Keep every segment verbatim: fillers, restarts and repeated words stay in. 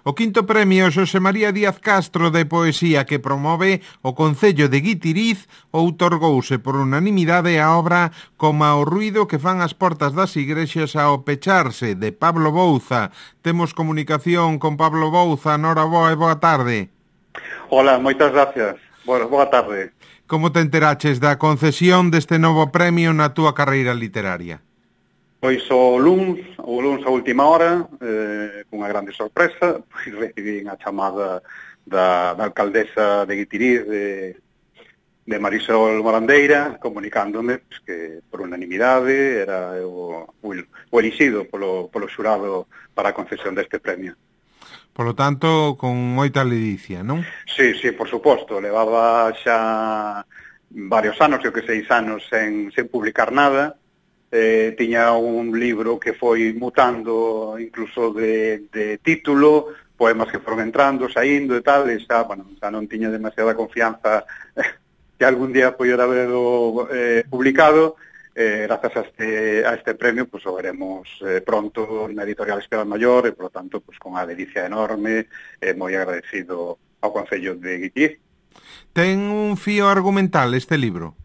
O quinto premio Xosé María Díaz Castro de Poesía que promove o Concello de Guitiriz outorgouse por unanimidade a obra Coma o ruido que fan as portas das igrexas ao pecharse, de Pablo Bouza. Temos comunicación con Pablo Bouza. Nora, boa e boa tarde. Hola, moitas gracias. Boa, boa tarde. Como te enteraches da concesión deste novo premio na túa carreira literaria? Pois o luns, o luns a última hora, eh, cunha grande sorpresa, pois recibín a chamada da, da alcaldesa de Guitiriz, de, de Marisol Morandeira, comunicándome pues, que por unanimidade era o, o, o elixido polo, polo xurado para a concesión deste premio. Polo tanto, con moita ledicia, non? Sí, sí, por suposto. Levaba xa varios anos, eu que seis anos, sen, sen publicar nada. Eh, tiña un libro que foi mutando incluso de, de título, poemas que foron entrando, saindo e tal, e xa, bueno, xa non tiña demasiada confianza que algún día poidera haberlo eh, publicado. Eh, grazas a este, a este premio, pues o veremos eh, pronto na editorial Espiral Maior, e, por lo tanto, pues con a delicia enorme, eh, moi agradecido ao Concello de Guitiriz. Ten un fío argumental este libro?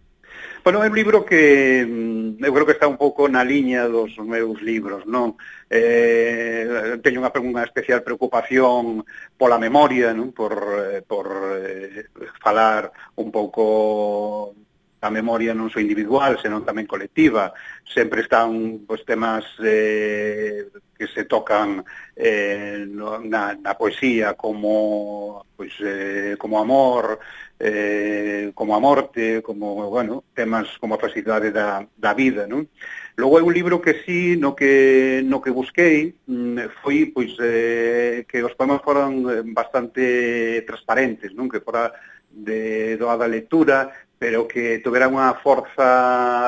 Bueno, é un libro que eu creo que está un pouco na liña dos meus libros, non? Eh, teño unha, unha especial preocupación pola memoria, non? Por, eh, por eh, falar un pouco a memoria non só individual, senón tamén colectiva. Sempre están pois, temas eh, que se tocan eh, no, na, na poesía como, pois, eh, como amor, eh, como a morte, como, bueno, temas como a facilidade da, da vida, non? Logo é un libro que sí, no que, no que busquei, foi pois, eh, que os poemas foran bastante transparentes, non? Que fora de doada lectura, pero que tuvera unha forza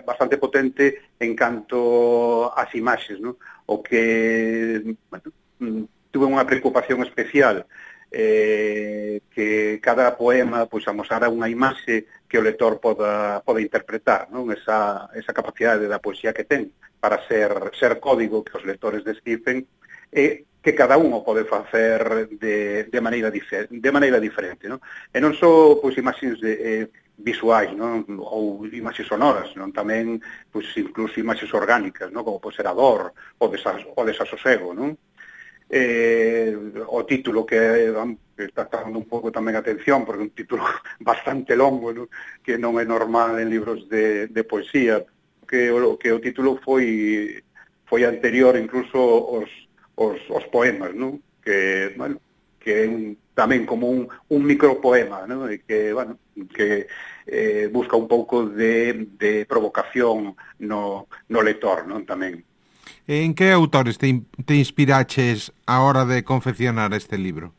bastante potente en canto ás imaxes, non? O que, bueno, tuve unha preocupación especial, eh, que cada poema pois amosara unha imaxe que o lector poda, poda interpretar, non? Esa, esa capacidade da poesía que ten para ser, ser código que os lectores descifren, e que cada un o pode facer de, de, maneira, difer, de maneira diferente, non? E non só pois, imaxes de, eh, visuais, non? Ou imaxes sonoras, non? Tamén pois, incluso imaxes orgánicas, non? Como pode ser a dor, o, desas, o desasosego, non? Eh, o título que, que está dando un pouco tamén atención, porque é un título bastante longo, non? Que non é normal en libros de, de poesía, que o, que o título foi foi anterior incluso aos Os, os poemas, non? Que, bueno, que é un, tamén como un, un micropoema, non? E que, bueno, que eh, busca un pouco de, de provocación no, no lector, non? Tamén. En que autores te, te inspiraches a hora de confeccionar este libro?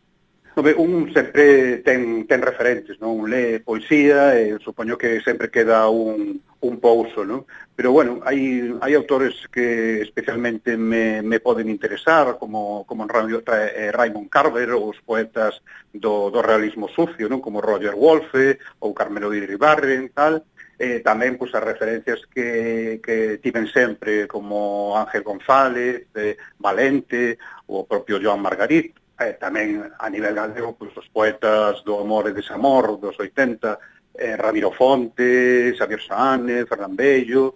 Un sempre ten, ten referentes, non? Lee poesía e supoño que sempre queda un, un pouso, non? Pero, bueno, hai, hai autores que especialmente me, me poden interesar, como, como Raymond Carver, ou os poetas do, do realismo sucio, non? Como Roger Wolfe, ou Carmelo de Iribarren, tal. Eh, tamén, pois, as referencias que, que tiven sempre, como Ángel González, eh, Valente, ou o propio Joan Margarit. Eh, tamén a nivel galego, pois, os poetas do amor e desamor dos oitenta, eh, Ramiro Fonte, Xavier Saane, Fernán Bello,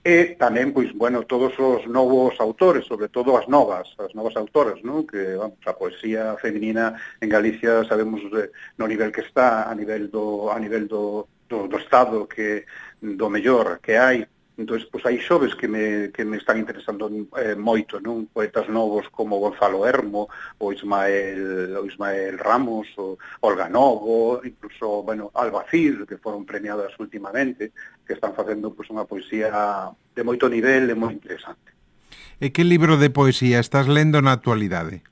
e tamén, pois, bueno, todos os novos autores, sobre todo as novas, as novas autoras, non? Que, vamos, a poesía feminina en Galicia sabemos eh, no nivel que está, a nivel do a nivel do, do, do estado que do mellor que hai. Entón, pois, hai xoves que me, que me están interesando eh, moito, non? Poetas novos como Gonzalo Hermo, o Ismael, o Ismael Ramos, o Olga Novo, incluso, bueno, Albacil, que foron premiadas últimamente, que están facendo pois, unha poesía de moito nivel e moi interesante. E que libro de poesía estás lendo na actualidade?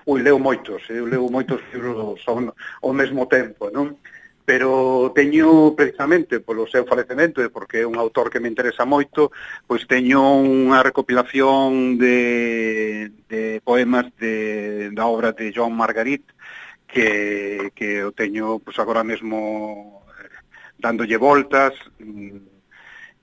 Ui, leo moitos, eu leo moitos libros ao, ao mesmo tempo, non? Pero teño, precisamente, polo seu falecemento, e porque é un autor que me interesa moito, pois teño unha recopilación de, de poemas de, da obra de Joan Margarit, que, que eu teño, pois agora mesmo, dándolle voltas,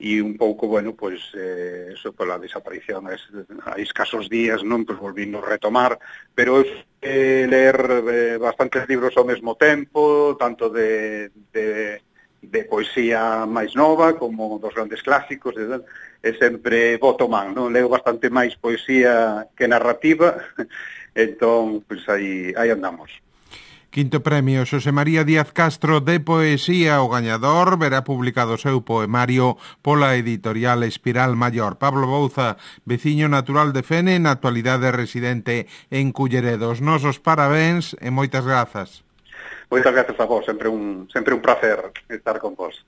e un pouco, bueno, pois, eh, eso pola desaparición a escasos días, non, pois volvindo a retomar, pero eh, ler eh, bastantes libros ao mesmo tempo, tanto de, de, de poesía máis nova como dos grandes clásicos, e, e sempre boto man, non? Leo bastante máis poesía que narrativa, entón, pois aí, aí andamos. Quinto premio Xosé María Díaz Castro de Poesía, o gañador, verá publicado o seu poemario pola editorial Espiral Maior. Pablo Bouza, veciño natural de Fene, na actualidade residente en Culleredo. Os nosos parabéns e moitas grazas. Moitas grazas a vos, sempre un, sempre un placer estar con vos.